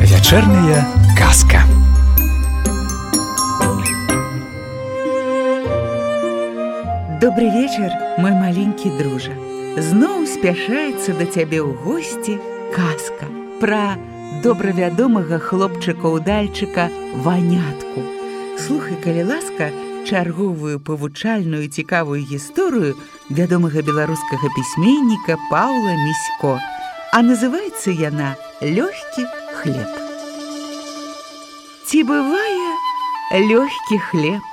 Вечерняя казка. Добрый вечер, мой маленький дружа. Зноў спяшаецца да цябе ў госці казка пра добравядомага хлопчыка-удальчыка Ванятку. Слухай, калі ласка, чарговую павучальную цікавую гісторыю вядомага беларускага пісьменніка Паўла Місько. А называецца яна «Лёгкі хлеб». Ці бывае лёгкі хлеб?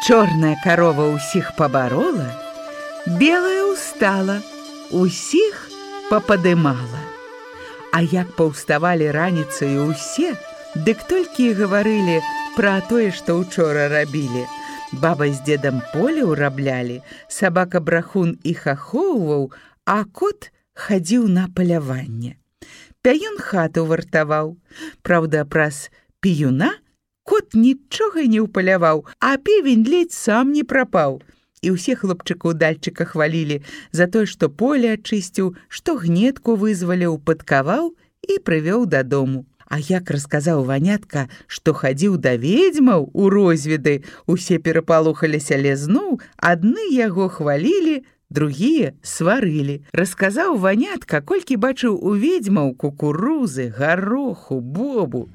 Чорная карова ўсіх пабарола, белая устала, усіх пападымала. А як паўставалі раніцаю ўсе, дык толькі і гаварылі пра тое, што ўчора рабілі. Баба з дзедам поле ўраблялі, сабака-брахун іх ахоўваў, а кот хадзіў на паляванне. Пяюн хату вартаваў. Праўда, праз піюна кот нічога не ўпаляваў, а певень ледзь сам не прапаў. І ўсе хлопчыка-удальчыка хвалілі за тое, што поле ачысціў, што гнетку вызваліў, падкаваў і прывёў дадому. А як расказаў Ванятка, што хадзіў да ведзьмаў у розведы, усе перапалохаліся, але зноў адны яго хвалілі, другія сварылі. Расказаў Ванятка, колькі бачыў у ведзьмаў кукурузы, гароху, бобу.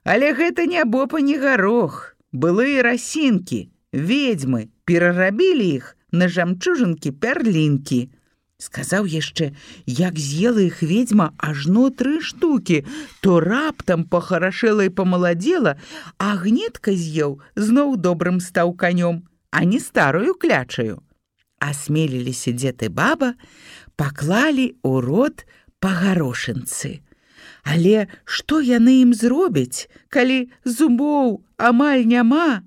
Але гэта не боб, а не гарох. Былыя расінкі, ведьмы, перарабілі іх на жамчужынкі-пярлінкі. Сказаў яшчэ, як з'ела іх ведьма ажно 3 штукі, то раптам пахарашэла і памаладзела, а гнетка з'еў, зноў добрым стаў канём, а не старую клячаю. Асмеліліся дзед і баба, паклалі ў рот па гарошынцы. Але што яны ім зробяць, калі зубоў амаль няма?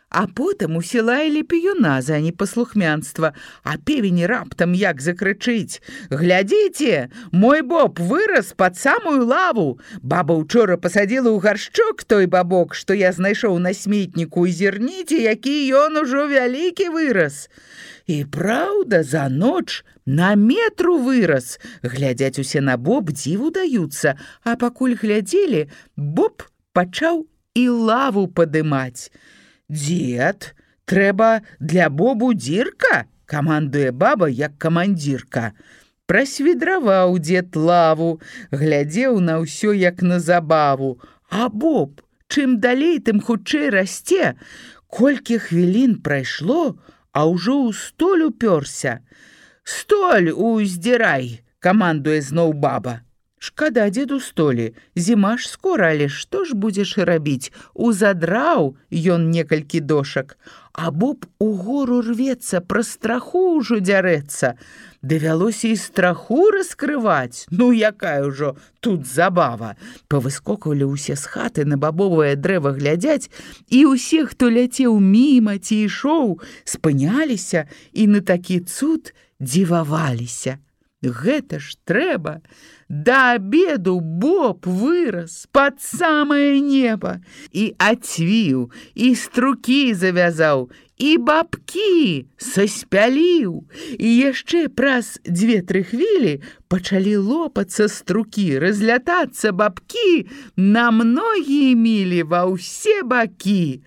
А потым усе лаялі піюна за непаслухмянства, а певень раптам як закрычыць: «Глядзіце, мой боб вырас пад самую лаву! Баба ўчора пасадзіла ў гаршчок той бабок, што я знайшоў на сметніку, і зірніце, які ён ужо вялікі вырас!» І праўда, за ноч на метру вырас. Глядзяць усе на боб, дзіву даюцца, а пакуль глядзелі, боб пачаў і лаву падымаць. «Дзед, трэба для бобу дзірка!» – камандуе баба, як камандзірка. Прасвідраваў дзед лаву, глядзеў на ўсё, як на забаву. А боб, чым далей, тым хутчэй расце. Колькі хвілін прайшло, а ўжо ў столь упёрся. «Столь уздзірай!» – камандуе зноў баба. Шкада дзеду столі, зіма ж скора, але што ж будзеш рабіць? Узадраў ён некалькі дошак, а боб угору рвецца, пра страху ўжо дзярэцца. Давялося і страху раскрываць. Ну, якая ўжо тут забава. Павыскоквалі ўсе з хаты на бабовае дрэва глядзяць, і ўсе, хто ляцеў міма ці ішоў, спыняліся і на такі цуд дзіваваліся. Гэта ж трэба! Да абеду боб вырас пад самае неба, і ацвіў, і струкі завязаў, і бабкі саспяліў. І яшчэ праз 2-3 хвілі пачалі лопацца струкі, разлятацца бабкі на многія мілі ва ўсе бакі.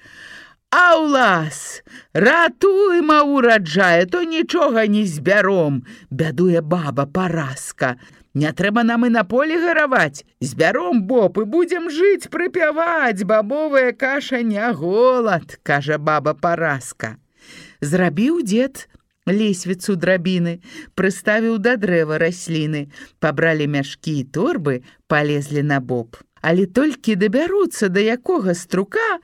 «Аўлас, ратуйма ураджае, то нічога не збяром!» – бядуе баба паразка. «Не трэба нам і на поле гараваць. Збяром, боб, і будзем жыць, прыпяваць. Бабовая каша не голад», – кажа баба паразка. Зрабіў дзед лесвіцу драбіны, прыставіў да дрэва расліны. Пабралі мяшкі і торбы, палезлі на боб. Але толькі дабяруцца да якога струка,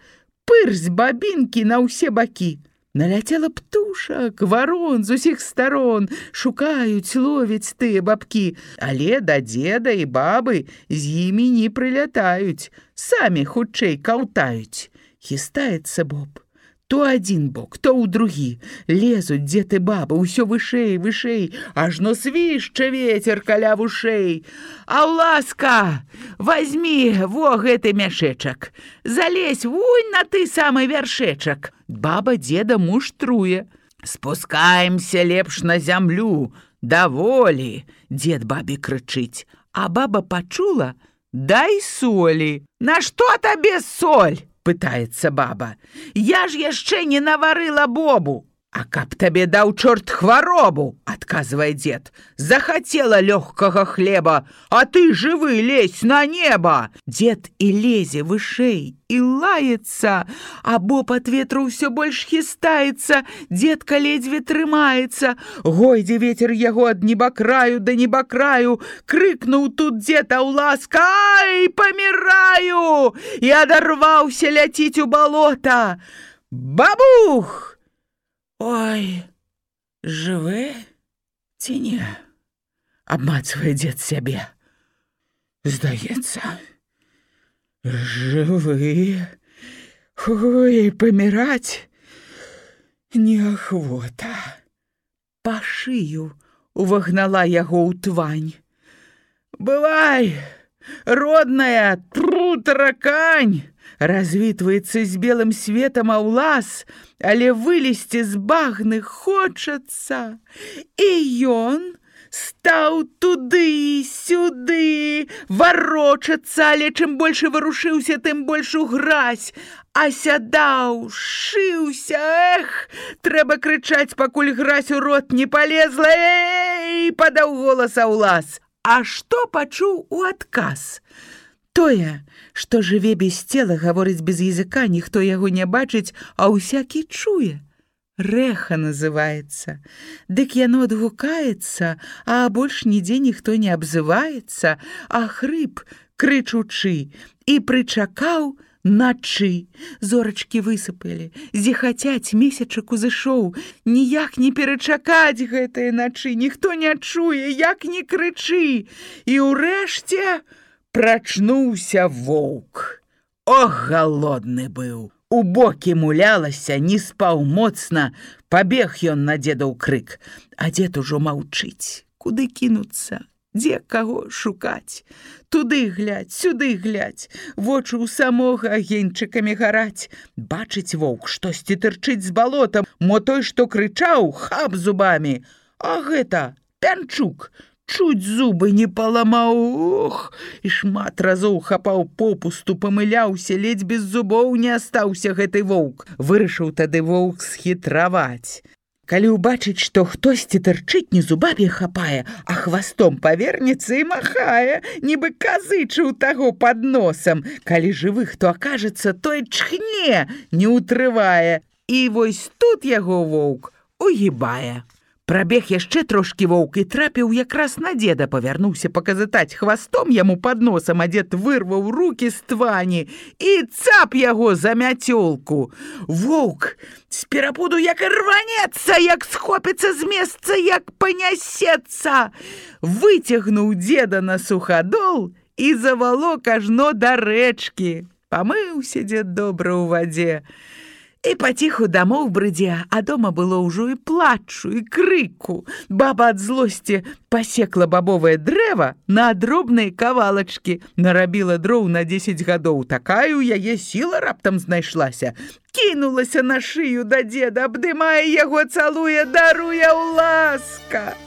пырсь бабінкі на ўсе бакі. Наляцела птушак, варон з усіх старон, шукаюць, ловяць тыя бабкі, але да дзеда і бабы з імі не прылятаюць, самі хутчэй каўтаюць. Хістаецца боб. То адзін бок, то ў другі. Лезуць дзед і баба, ўсё вышэй, вышэй, ажно свішча вецер каля вушэй. Аўласка, возьмі во гэты мяшэчак, залезь вунь на ты самы вяршэчак. Баба дзеда муштруе. Спускаемся лепш на зямлю, даволі, дзед бабе крычыць. А баба пачула: дай солі. На што табе соль? Пытаецца баба. Я ж яшчэ не наварыла бобу. А каб табе даў чорт хваробу, адказвае дзед. Захацела лёгкага хлеба, а ты жывы лезь на неба. Дзед і лезе вышэй, і лаецца, а боб ад ветру ўсё больш хістаецца. Дзедка ледзьве трымаецца. Гойдзе вецер яго ад небакраю да небакраю. Крыкнуў тут дзед Аўласка: ай, паміраю! І адарваўся ляціць у балота. Бабух! Ой, жывы ці не? Абмацвае дзед сябе. Здаецца, жывы. Ой, паміраць неахвота. Па шыю увагнала яго ў твань. Бывай, родная, тру таракань. Развітваецца з белым светам Аўлас, але вылезці з багны хочацца. І ён стаў туды-сюды варочацца, але чым больш варушыўся, тым больш угразь. Асядаў, шыўся, эх, трэба крычаць, пакуль гразь у рот не палезла. Эй, падаў голас Аўлас. А што пачуў у адказ? Тое, што жыве без цела, гаворыць без языка, ніхто яго не бачыць, а ўсякі чуе. Рэха называецца. Дык яно адгукаецца, а больш нідзе ніхто не абзываецца, а хрып, крычучы, і прычакаў начы. Зорачкі высыпалі, зіхацяць, месячак узышоў. Ніяк не перачакаць гэтыя начы, ніхто не чуе, як не крычы. І ўрэшце прачнуўся воўк. Ох, галодны быў. У бокі мулялася, не спаў моцна. Пабег ён на дзедаў крык. А дзед ужо маўчыць. Куды кінуцца? Дзе каго шукаць? Туды глядь, сюды глядь. Вочы ў самога агеньчыкамі гараць. Бачыць воўк, штосьці тырчыць з балота. Мо той, што крычаў, хап зубамі. А гэта пянчук. Чуць зубы не паламаў, ох, і шмат разоў хапаў попусту, памыляўся, ледзь без зубоў не астаўся гэты воўк. Вырашыў тады воўк схітраваць. Калі ўбачыць, што хтосьці тырчыць, не зубамі хапае, а хвастом павернецца і махае, нібы казычыў таго пад носам. Калі жывы хто акажацца, той чхне, не ўтрывае. І вось тут яго воўк угібае. Прабег яшчэ трошкі воўк і трапіў якраз на дзеда, павярнуўся паказытаць хвастом яму пад носам, а дзед вырваў рукі з твані і цап яго за мяцёлку. Воўк з перапуду як рванецца, як схопіцца з месца, як панясецца. Выцягнуў дзеда на сухадол і завалок ажно да рэчкі. Памыўся дзед добра ў вадзе. І паціху дамоў брыдзе, а дома было ўжо і плачу, і крыку. Баба ад злосці пасекла бабовае дрэва на дробныя кавалачкі, нарабіла дроў на 10 гадоў. Такая ў яе сіла раптам знайшлася. Кінулася на шыю да дзеда, абдымае яго, цалуе, даруе Аўласка.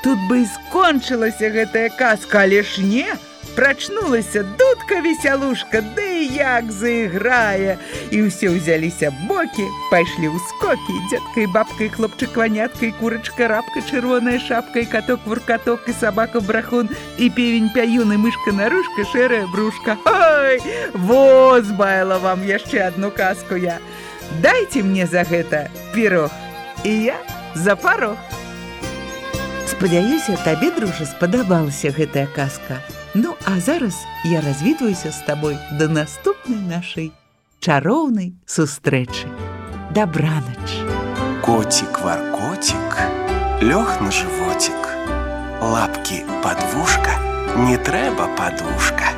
Тут бы і скончылася гэтая казка, але ж не. Прачнулася дудка-весялушка, ды як заіграе. І ўсе ўзяліся бокі, пайшлі ў скокі. Дзедка і бабка, і хлопчык-ванятка, і курачка-рабка, чырвоная шапка, і каток-вуркаток, і сабака-брахун, і певень-пяюн, і мышка-нарушка, шэрая брушка. Ой, во, збаяла вам яшчэ адну казку я. Дайце мне за гэта пірог, і я за парог. Спадзяюся, табе, дружа, спадабалася гэтая казка. Ну, а зараз я развітваюся з табой да наступнай нашай чароўнай сустрэчы. Дабранач. Котик-варкотик лёг на животик. Лапки под вушка, не трэба подушка.